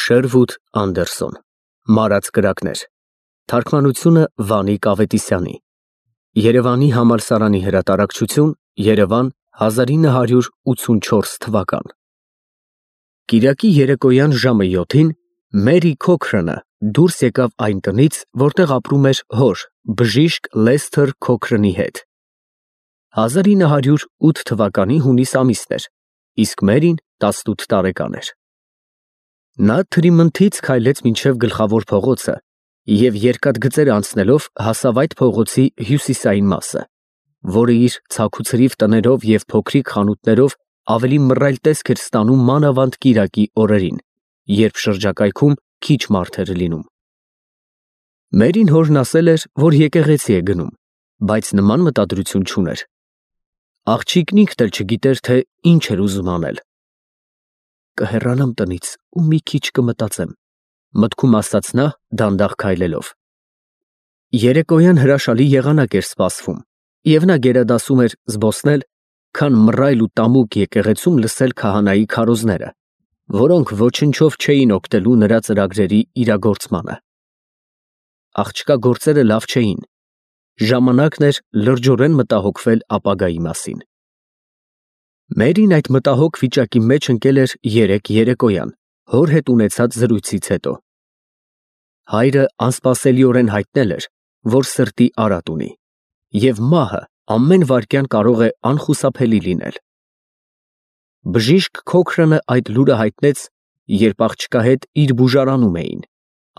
Շերվուդ Անդերսոն, Մարած կրակներ, թարգմանությունը Վանիկ Ավետիսյանի, Երևանի համալսարանի հրատարակչություն, Երևան 1984 թվական։ Կիրակի երեկոյան ժամը 7-ին Մերի Քոքրանը դուրս եկավ այն տնից, որտեղ ապրում էր հոր, բժիշկ Լեսթեր Քոքրանի հետ։ 1908 թվականի հունիս ամիսն էր, իսկ Մերին 18 տարեկան էր։ Նա Թրիմընթից քայլեց մինչև գլխավոր փողոցը և երկաթգծեր անցնելով հասավ այդ փողոցի հյուսիսային մասը, որը իր ցաքուցրիվ տներով և փոքրիկ խանութներով ավելի մռայլ տեսք էր ստանում մանավանդ կիրակի օրերին, երբ շրջակայքում քիչ մարդ էր լինում։ Մերին հորն ասել էր, որ եկեղեցի է գնում, բայց նման մտադրություն չուներ։ Աղջիկն ինքն էլ չգիտեր, թե ինչ էր ուզում անել։ Կհեռանամ տնից ու մի քիչ կմտածեմ, մտքում ասաց նա դանդաղ քայլելով։ Երեկոյան հրաշալի եղանակ էր սպասվում, և նա գերադասում էր զբոսնել, քան մռայլ ու տամուկ եկեղեցում լսել քահանայի քարոզները, որոնք ոչնչով չէին օգնելու նրա ծրագրերի իրագործմանը։ Աղջկա գործերը լավ չէին, ժամանակն էր լրջորեն մտահոգվել ապագայի մասին։ Մերին այդ մտահոգ վիճակի մեջ ընկել էր երեկ երեկոյան, հոր հետ ունեցած զրույցից հետո։ Հայրը անսպասելիորեն հայտնել էր, որ սրտի արատ ունի, և մահը ամեն վայրկյան կարող է անխուսափելի լինել։ Բժիշկ Քոքրանը այդ լուրը հայտնեց, երբ աղջկա հետ իր բուժարանում էին,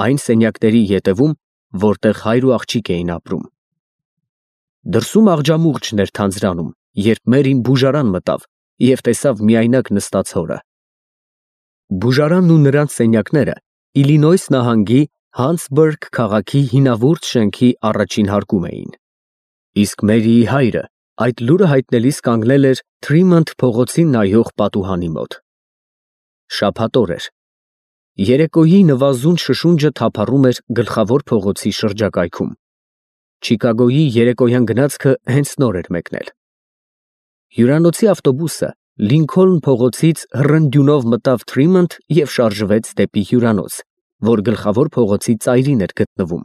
այն սենյակների ետևում, որտեղ հայր ու աղջիկ էին ապրում։ Դրսում աղջամուղջն էր թանձրանում, երբ Մերին բուժարան մտավ և տեսավ միայնակ նստած հորը։ Բուժարանն ու նրանց սենյակները Իլինոյս նահանգի Հանսբուրգ քաղաքի հինավուրց շենքի առաջին հարկում էին, իսկ Մերիի հայրը այդ լուրը հայտնելիս կանգնել էր Թրիմընթ փողոցին նայող պատուհանի մոտ։ Շաբաթ օր էր։ Երեկոյի նվազուն շշունջը թափառում էր գլխավոր փողոցի շրջակայքում։ Չիկագոյի երեկոյան գնացքը հենց նոր էր մեկնել։ Հյուրանոցի ավտոբուսը Լինքոլն փողոցից հռնդյունով մտավ Թրիմընթ և շարժվեց դեպի հյուրանոց, որ գլխավոր փողոցի ծայրին էր գտնվում։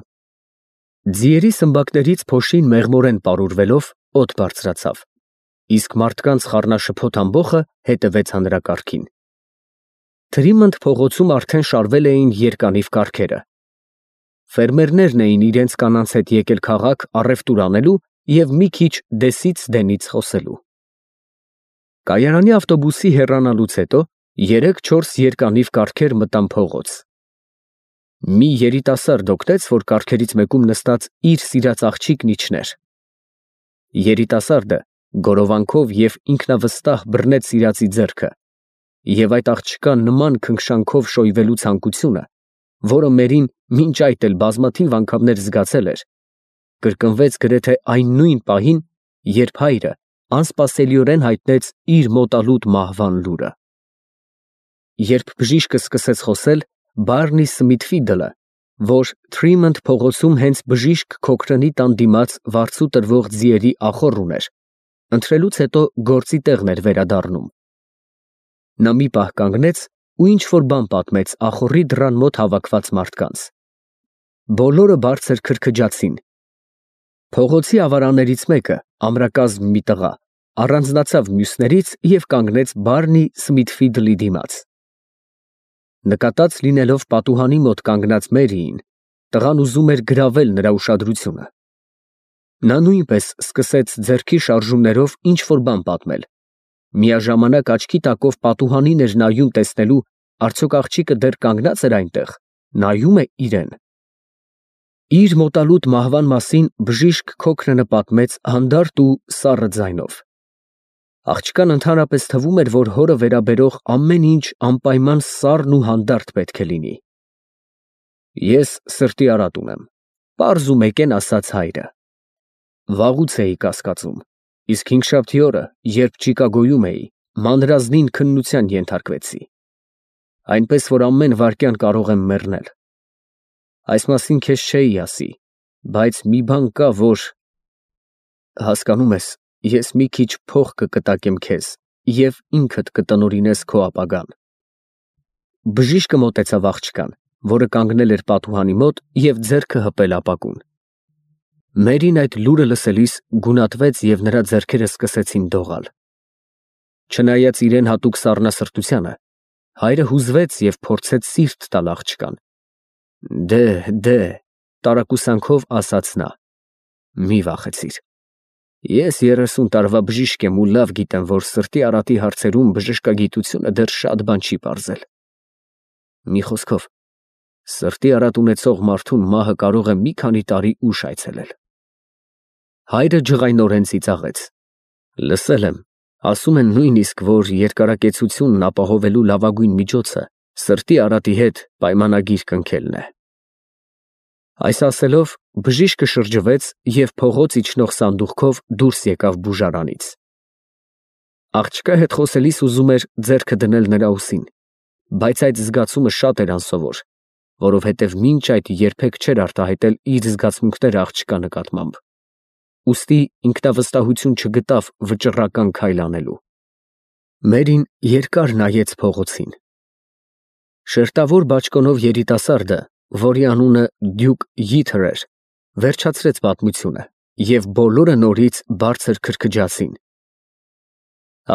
Ձիերի սմբակներից փոշին մեղմորեն պարուրվելով օդ բարձրացավ, իսկ մարդկանց խառնաշփոթ ամբոխը հետևեց հանրակարգին։ Թրիմընթ փողոցում արդեն շարվել էին երկանիվ կառքերը։ Ֆերմերներն էին իրենց կանանց հետ եկել քաղաք առևտուր անելու և մի քիչ դեսից դենից խոսելու։ Կայարանի ավտոբուսի հեռանալուց հետո 3-4 երկանիվ կառքեր մտան փողոց։ Մի երիտասարդ օգնեց, որ կառքերից մեկում նստած իր սիրած աղջիկն իջներ։ Երիտասարդը գորովանքով և ինքնավստահ բռնեց սիրածի ձեռքը, և այդ աղջկա նման քնքշանքով շոյվելու ցանկությունը, որը Մերին մինչ այդ էլ բազմաթիվ անգամներ զգացել էր, կրկնվեց գրեթե այն նույն պահին, երբ հայրը անսպասելիորեն հայտնեց իր մոտալուտ մահվան լուրը։ Երբ բժիշկը սկսեց խոսել, Բարնի Սմիթֆիլդը, որ Թրիմընթ փողոցում հենց բժիշկ Քոքրանի տան դիմաց վարձու տրվող ձիերի ախոռ ուներ, ընթրելուց հետո գործի տեղն էր վերադառնում։ Նա մի պահ կանգնեց ու ինչ-որ բան պատմեց ախոռի դռան մոտ հավաքված մարդկանց։ Բոլորը բարձր քրքջացին։ Փողոցի ավարաններից մեկը, ամրակազմ մի տղա, առանձնացավ մյուսներից և կանգնեց Բարնի Սմիթֆիլդի դիմաց։ Նկատած լինելով պատուհանի մոտ կանգնած Մերիին, տղան ուզում էր գրավել նրա ուշադրությունը։ Նա նույնպես սկսեց ձեռքի շարժումներով ինչ-որ բան պատմել, միաժամանակ աչքի տակով պատուհանին էր նայում տեսնելու, արդյոք աղջիկը դեռ կանգնած էր այնտեղ, նայում է իրեն։ Իր մոտալուտ մահվան մասին բժիշկ Քոքրանը պատմեց հանդարտ ու սառը ձայնով։ Աղջկան ընդհանրապես թվում էր, որ հորը վերաբերող ամեն ինչ անպայման սառն ու հանդարտ պետք է լինի։ Ես սրտի արատ ունեմ, պարզ ու մեկեն ասաց հայրը։ Վաղուց էի կասկածում, իսկ հինգշաբթի օրը, երբ Չիկագոյում էի, մանրազնին քննության ենթարկվեցի, այնպես որ ամեն վայրկյան կարող եմ մեռնել։ Այս մասին քեզ չէի ասի, բայց մի բան կա, որ… Հասկանում ես, ես մի քիչ փող կկտակեմ քեզ և ինքդ կտնօրինես քո ապագան։ Բժիշկը մոտեցավ աղջկան, որը կանգնել էր պատուհանի մոտ և ձեռքը հպել ապակուն։ Մերին այդ լուրը լսելիս գունատվեց և նրա ձեռքերը սկսեցին դողալ։ Չնայած իրեն հատուկ սառնասրտությանը, հայրը հուզվեց և փորձեց սիրտ տալ աղջկան։ Դե, տարակուսանքով ասաց նա, մի վախեցիր։ Ես 30 տարվա բժիշկ եմ ու լավ գիտեմ, որ սրտի արատի հարցերում բժշկագիտությունը դեռ շատ բան չի պարզել։ Մի խոսքով, սրտի արատ ունեցող մարդուն մահը կարող է մի քանի տարի ուշ այցելել։ Հայրը ջղայնորեն ծիծաղեց։ Լսել եմ, ասում են նույնիսկ, որ երկարակեցությունն ապահովելու լավագույն միջոցը սրտի արատի հետ պայմանագիր կնքելն է։ Այս ասելով, բժիշկը շրջվեց և փողոց իջնող սանդուղքով դուրս եկավ բուժարանից։ Աղջկա հետ խոսելիս ուզում էր ձեռքը դնել նրա ուսին, բայց այդ զգացումը շատ էր անսովոր, որովհետև մինչ այդ երբեք չէր արտահայտել իր զգացմունքները աղջկա նկատմամբ։ Ուստի ինքնավստահություն չգտավ վճռական քայլ անելու։ Մերին երկար նայեց փողոցին։ Շերտավոր բաճկոնով երիտասարդը, որի անունը Դյուկ Յիթեր էր, վերջացրեց պատմությունը, և բոլորը նորից բարձր քրքջացին։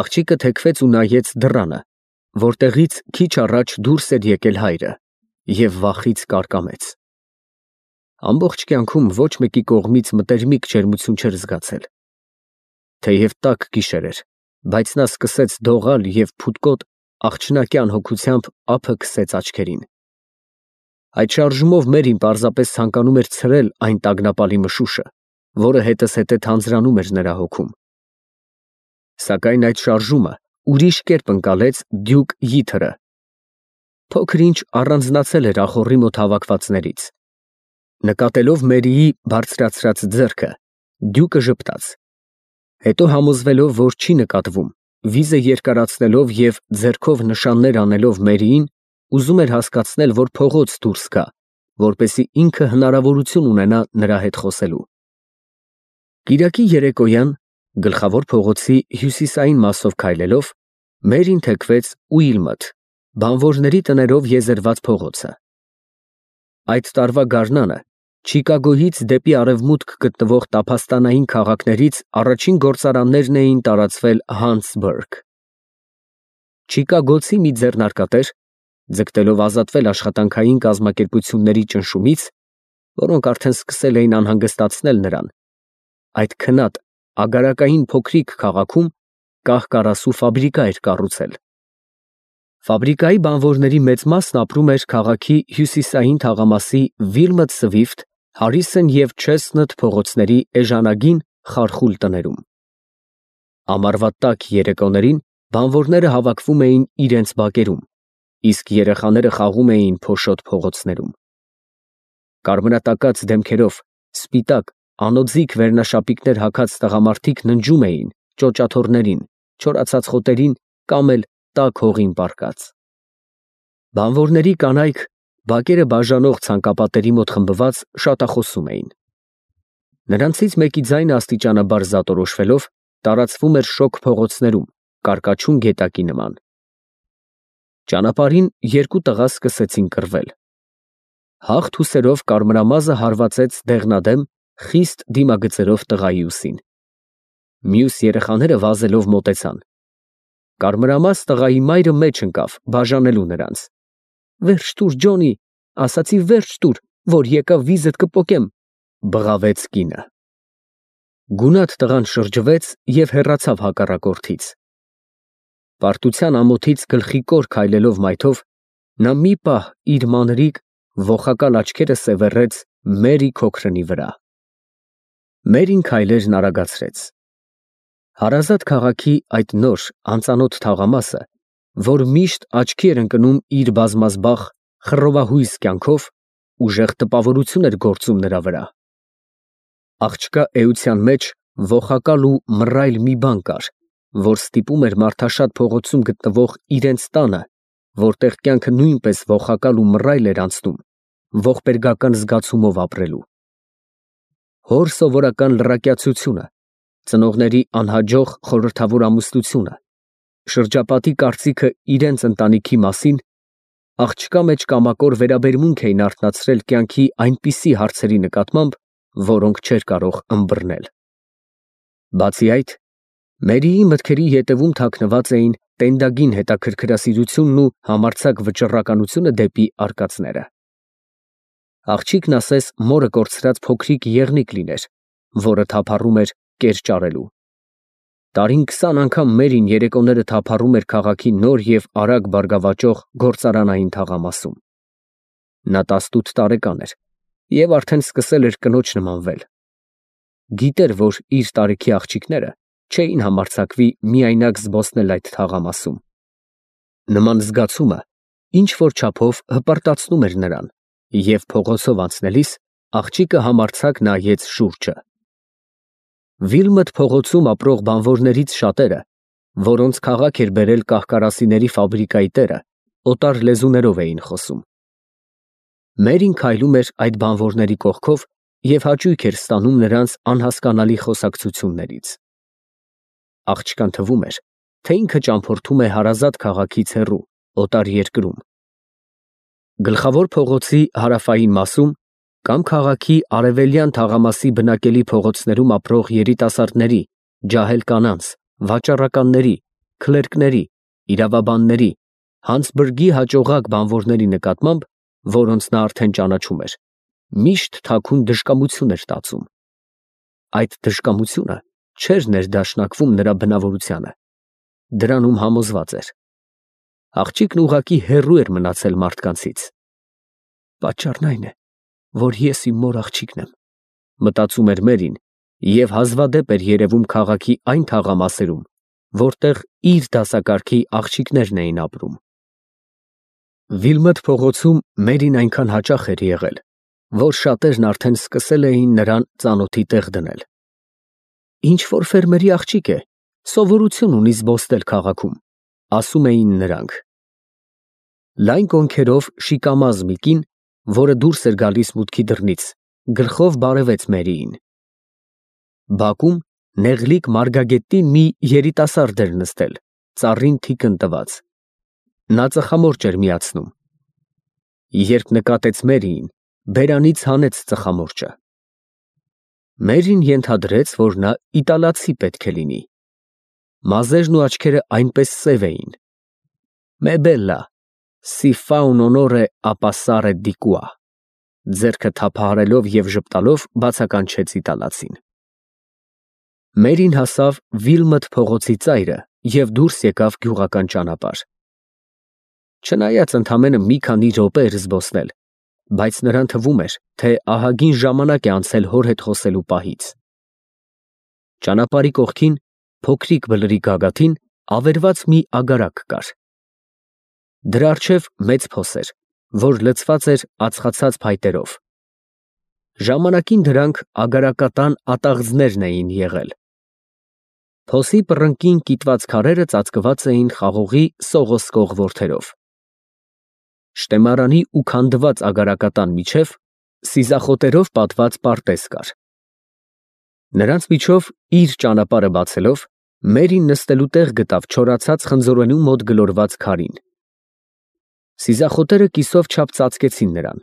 Աղջիկը թեքվեց ու նայեց դռանը, որտեղից քիչ առաջ դուրս էր եկել հայրը, և վախից կարկամեց։ Ամբողջ կյանքում ոչ մեկի կողմից մտերմիկ ջերմություն չէր զգացել։ Թեև տաք գիշեր էր, բայց նա սկսեց դողալ և փութկոտ աղջնակյան հոգությամբ ափը քսեց աչքերին։ Այդ շարժումով Մերին պարզապես ցանկանում էր ցրել այն տագնապալի մշուշը, որը հետզհետե թանձրանում էր նրա հոգում։ Սակայն այդ շարժումը ուրիշ կերպ ընկալեց Դյուկ Յիթերը։ Փոքր-ինչ առանձնացել էր ախոռի մոտ հավաքվածներից։ Նկատելով Մերիի բարձրացրած ձեռքը, Դյուկը ժպտաց։ Հետո համոզվելով, որ չի նկատվում, վիզը երկարացնելով և ձեռքով նշաններ անելով Մերիին, ուզում էր հասկացնել, որ փողոց դուրս գա, որպեսզի ինքը հնարավորություն ունենա նրա հետ խոսելու։ Կիրակի երեկոյան, գլխավոր փողոցի հյուսիսային մասով քայլելով, Մերին թեքվեց Ուիլմոթ, բանվորների տներով եզերված փողոցը։ Այդ տարվա գարնանը Չիկագոյից դեպի արևմուտք գտնվող տափաստանային քաղաքներից առաջին գործարաններն էին տարածվել Հաննեսբուրգ։ Չիկագոցի մի ձեռնարկատեր, ձգտելով ազատվել աշխատանքային կազմակերպությունների ճնշումից, որոնք արդեն սկսել էին անհանգստացնել նրան, այդ քնած ագարակային փոքրիկ քաղաքում կահ֊կարասու ֆաբրիկա էր կառուցել։ Ֆաբրիկայի բանվորների մեծ մասն ապրում էր քաղաքի հյուսիսային թաղամասի Վիլմոտ-Սվիֆտ, Հարիսոն և Չեսթնոթ փողոցների էժանագին խարխուլ տներում։ Ամառվա տաք երեկոներին բանվորները հավաքվում էին իրենց բակերում, իսկ երեխաները խաղում էին փոշոտ փողոցներում։ Կարմրատակած դեմքերով, սպիտակ, անոձիկ վերնաշապիկներ հագած տղամարդիկ ննջում էին ճոճաթոռներին, չորացած խոտերին կամ էլ տաք հողին պառկած։ Բանվորների կանայք, բակերը բաժանող ցանկապատերի մոտ խմբված, շատախոսում էին։ Նրանցից մեկի ձայնը աստիճանաբար զատորոշվելով, տարածվում էր շոգ փողոցներում, կարկաչուն գետակի նման։ Ճանապարհին երկու տղա սկսեցին կռվել։ Հաղթ ուսերով կարմրամազը հարվածեց դեղնադեմ, խիստ դիմագծերով տղայի ուսին։ Մյուս երեխաները վազելով մոտեցան։ Կարմրամազ տղայի մայրը մեջ ընկավ, բաժանելու նրանց։ «Վերջ տուր, Ջոնի, ասացի վերջ տուր, որ եկա վիզդ կպոկեմ», բղավեց կինը։ Գունատ տղան շրջվեց և հեռացավ հակառակորդից։ Պարտության ամոթից գլխի կոր քայլելով մայթով, նա մի պահ իր մանրիկ, ողակալ աչքերը սևեռեց Մերի քոքրնի վրա։ Մերին քայլերն արագացրեց։ Հարազատ քաղաքի այդ նոր, անծանոթ թաղամասը, որ միշտ աչքի էր ընկնում իր բազմազբաղ, խռովահույս կյանքով, ուժեղ տպավորություն էր գործում նրա վրա։ Աղջկա էության մեջ ողակալ ու մռայլ մի բան կար, որ ստիպում էր մարդաշատ փողոցում գտնվող իրենց տանը, որտեղ կյանքը նույնպես ողակալ ու մռայլ էր անցնում, ողբերգական զգացումով ապրելու։ Հոր սովորական լրակյացությունը, ծնողների անհաջող խորհրդավոր ամուսնությունը, շրջապատի կարծիքը իրենց ընտանիքի մասին Աղջկա մեջ կամակոր վերաբերմունք էին արթնացրել կյանքի այնպիսի հարցերի նկատմամբ, որոնք չէր կարող ըմբռնել։ Բացի այդ, Մերիի մտքերի ետևում թաքնված էին տենդագին հետաքրքրասիրությունն ու համարձակ վճռականությունը դեպի արկածները։ Աղջիկն ասես մորը կորցրած փոքրիկ եղնիկ լիներ, որը թափառում էր կեր ճարելու։ Տարին 20 անգամ Մերին երեկոները թափառում էր քաղաքի նոր և արագ բարգավաճող գործարանային թաղամասում։ Նա 18 տարեկան էր և արդեն սկսել էր կնոջ նմանվել։ Գիտեր, որ իր տարիքի աղջիկները չէին համարձակվի միայնակ զբոսնել այդ թաղամասում։ Նման զգացումը ինչ-որ չափով հպարտացնում էր նրան, և փողոցով անցնելիս աղջիկը համարձակ նայեց շուրջը։ Վիլմոթ փողոցում ապրող բանվորներից շատերը, որոնց քաղաք էր բերել կահ֊կարասիների ֆաբրիկայի տերը, օտար լեզուներով էին խոսում։ Մերին քայլում էր այդ բանվորների կողքով և հաճույք էր ստանում նրանց անհասկանալի խոսակցություններից։ Աղջկան թվում էր, թե ինքը ճամփորդում է հարազատ քաղաքից հեռու, օտար երկրում։ Գլխավոր փողոցի հարավային մասում կամ քաղաքի արևելյան թաղամասի բնակելի փողոցներում ապրող երիտասարդների, ջահել կանանց, վաճառականների, քլերկների, իրավաբանների, հանցբրգի հաճողակ բանվորների նկատմամբ, որոնց նա արդեն ճանաչում էր, միշտ թաքուն դժկամություն էր տածում։ Այդ դժկամությունը չէր ներդաշնակվում նրա բնավորությանը, դրանում համոզված էր։ Աղջիկն ուղղակի հեռու էր մնացել մարդկանցից։ Պատճառն այն է, որ ես իմ մոր աղջիկն եմ, մտածում էր Մերին և հազվադեպ էր երևում քաղաքի այն թաղամասերում, որտեղ իր դասակարգի աղջիկներն էին ապրում։ Վիլմոթ փողոցում Մերին այնքան հաճախ էր եղել, որ շատերն արդեն սկսել էին նրան ծանոթի տեղ դնել։ Ինչ-որ ֆերմերի աղջիկ է, սովորություն ունի զբոսնել քաղաքում, ասում էին նրանք։ Լայն կոնքերով շիկամազ մի կին, որը դուրս էր գալիս մուտքի դռնից, գլխով բարևեց Մերիին։ Բակում նեղլիկ մարգագետին մի երիտասարդ էր նստել, ծառին թիկն տված։ Նա ծխամորճ էր միացնում։ Երբ նկատեց Մերիին, բերանից հանեց ծխամորճը։ Մերին ենթադրեց, որ նա իտալացի պետք է լինի։ Մազերն ու աչքերը այնպես սև էին։ «Մե բելլա, սի ֆա ուն օնորե ա պասսարե դի կուա», ձեռքը թափահարելով և ժպտալով բացականչեց իտալացին։ Մերին հասավ Վիլմոթ փողոցի ծայրը և դուրս եկավ գյուղական ճանապարհ։ Չնայած ընդամենը մի քանի րոպե էր զբոսնել, բայց նրան թվում էր, թե ահագին ժամանակ է անցել հոր հետ խոսելու պահից։ Ճանապարհի կողքին, փոքրիկ բլրի գագաթին, ավերված մի ագարակ կար։ Դրա առջև մեծ փոս էր, որ լցված էր ածխացած փայտերով։ Ժամանակին դրանք ագարակատան ատաղձներն էին եղել։ Փոսի պռնկին կիտված քարերը ծածկված էին խաղողի սողոսկող որդերով։ Շտեմարանի ու քանդված ագարակատան միջև սիզախոտերով պատված պարտեզ կար։ Նրանց միջով իր ճանապարհը բացելով, Մերին նստելու տեղ գտավ չորացած խնձորենու մոտ գլորված քարին։ Սիզախոտերը կիսով չափ ծածկեցին նրան,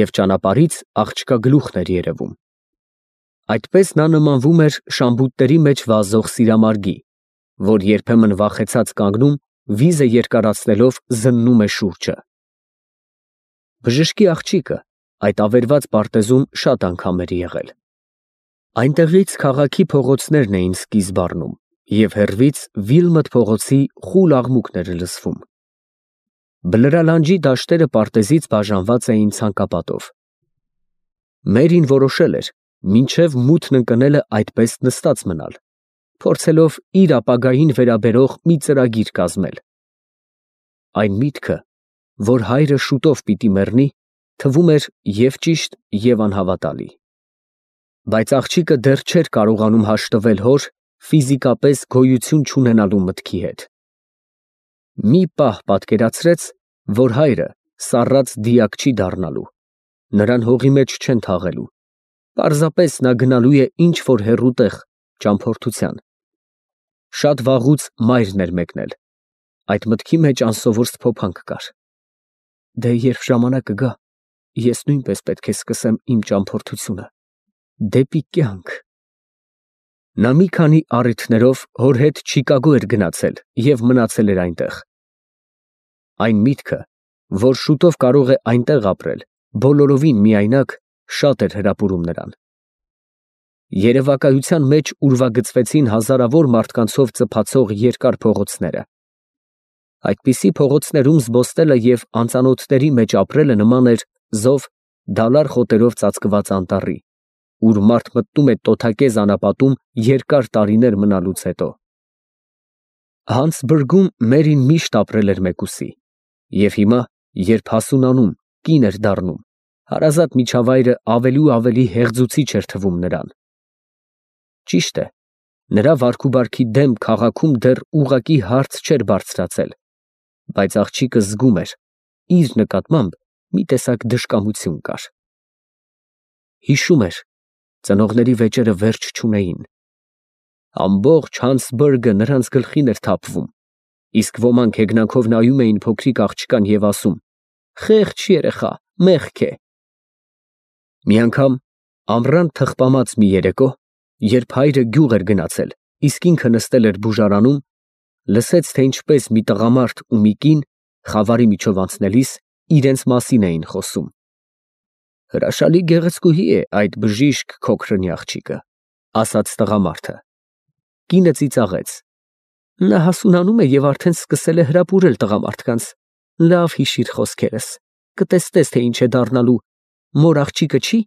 և ճանապարհից աղջկա գլուխն էր երևում։ Այդպես նա նմանվում էր շամբուտների մեջ վազող սիրամարգի, որ երբեմն վախեցած կանգնում, վիզը երկարացնելով զննում է շուրջը։ Բժշկի աղջիկը այդ ավերված պարտեզում շատ անգամ էր եղել։ Այնտեղից քաղաքի փողոցներն էին սկիզբ առնում, և հեռվից Վիլմոթ փողոցի խուլ աղմուկն էր լսվում։ Բլրալանջի դաշտերը պարտեզից բաժանված էին ցանկապատով։ Մերին որոշել էր մինչև մութն ընկնելը այդպես նստած մնալ, փորձելով իր ապագային վերաբերող մի ծրագիր կազմել։ Այն միտքը, որ հայրը շուտով պիտի մեռնի, թվում էր և ճիշտ, և անհավատալի։ Բայց աղջիկը դեռ չէր կարողանում հաշտվել հոր ֆիզիկապես գոյություն չունենալու մտքի հետ։ Մի պահ պատկերացրեց, որ հայրը սառած դիակ չի դառնալու, նրան հողի մեջ չեն թաղելու, պարզապես նա գնալու է ինչ֊որ հեռու տեղ, ճամփորդության։ Շատ վաղուց մայրն էր մեկնել, այդ մտքի մեջ անսովոր սփոփանք կար։ Դե երբ ժամանակը գա, ես նույնպես պետք է սկսեմ իմ ճամփորդությունը դեպի կյանք։ Նա մի քանի առիթներով հոր հետ Չիկագո էր գնացել և մնացել էր այնտեղ։ Այն միտքը, որ շուտով կարող է այնտեղ ապրել, բոլորովին միայնակ, շատ էր հրապուրում նրան։ Երևակայության մեջ ուրվագծվեցին հազարավոր մարդկանցով ծփացող երկար փողոցները։ Այդպիսի փողոցներում զբոսնելը և անծանոթների մեջ ապրելը նման էր զով դալար խոտերով ծածկված անտառի, ուր մարդ մտնում է տոթակեզ անապատում երկար տարիներ մնալուց հետո։ Հանցբուրգում Մերին միշտ ապրել էր մեկուսի, և հիմա, երբ հասունանում, կին էր դառնում, հարազատ միջավայրը ավելի ու ավելի հեղձուցիչ էր թվում նրան։ Ճիշտ է, նրա վարքուբարքի դեմ քաղաքում դեռ ուղղակի հարց չէր բարձրացել, բայց աղջիկը զգում էր, իր նկատմամբ մի տեսակ դժկամություն կար։ Հիշում էր, ծնողների վեճերը վերջ չունեին։ Ամբողջ Հանցբուրգը նրանց գլխին էր թափվում, իսկ ոմանք հեգնանքով նայում էին փոքրիկ աղջկան և ասում. «Խեղճ երեխա, մեղք է»։ Մի անգամ ամռան թխպամած մի երեկո, երբ հայրը գյուղ էր գնացել, իսկ ինքը նստել էր բուժարանում, լսեց, թե ինչպես մի տղամարդ ու մի կին, խավարի միջով անցնելիս, իրենց մասին էին խոսում։ «Հրաշալի գեղեցկուհի է այդ բժիշկ քոքրնի աղջիկը», ասաց տղամարդը։ Կինը ծիծաղեց. «Նա հասունանում է և արդեն սկսել է հրապուրել տղամարդկանց։ Լավ հիշիր խոսքերս, կտեսնես, թե ինչ է դառնալու, մոր աղջիկը չի,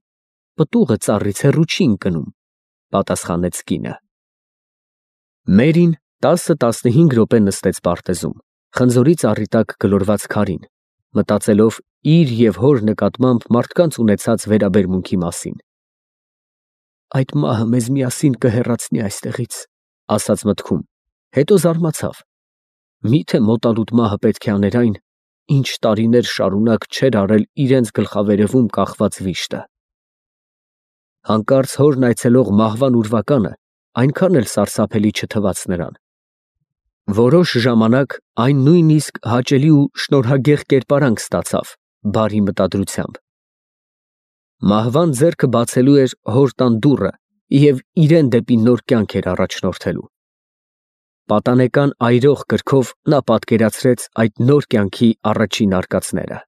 պտուղը ծառից հեռու չի ընկնում», պատասխանեց կինը։ Մերին 10-15 րոպե նստեց պարտեզում, խնձորի ծառի տակ գլորված քարին, մտածելով իր և հոր նկատմամբ մարդկանց ունեցած վերաբերմունքի մասին։ «Այդ մահը մեզ միասին կհեռացնի այստեղից», ասաց մտքում, հետո զարմացավ. միթե մոտալուտ մահը պետք է աներ այն, ինչ տարիներ շարունակ չէր արել իրենց գլխավերևում կախված վիշտը։ Հանկարծ հորն այցելող մահվան ուրվականը այնքան էլ սարսափելի չթվաց նրան։ Որոշ ժամանակ այն նույնիսկ հաճելի ու շնորհագեղ կերպարանք ստացավ բարի մտադրությամբ։ Մահվան ձեռքը բացելու էր հոր տան դուռը և իրան դեպի նոր կյանք էր առաջնորդելու։ Պատանեկան այրող կրքով նա պատկերացրեց այդ նոր կյանքի առաջին արկածները։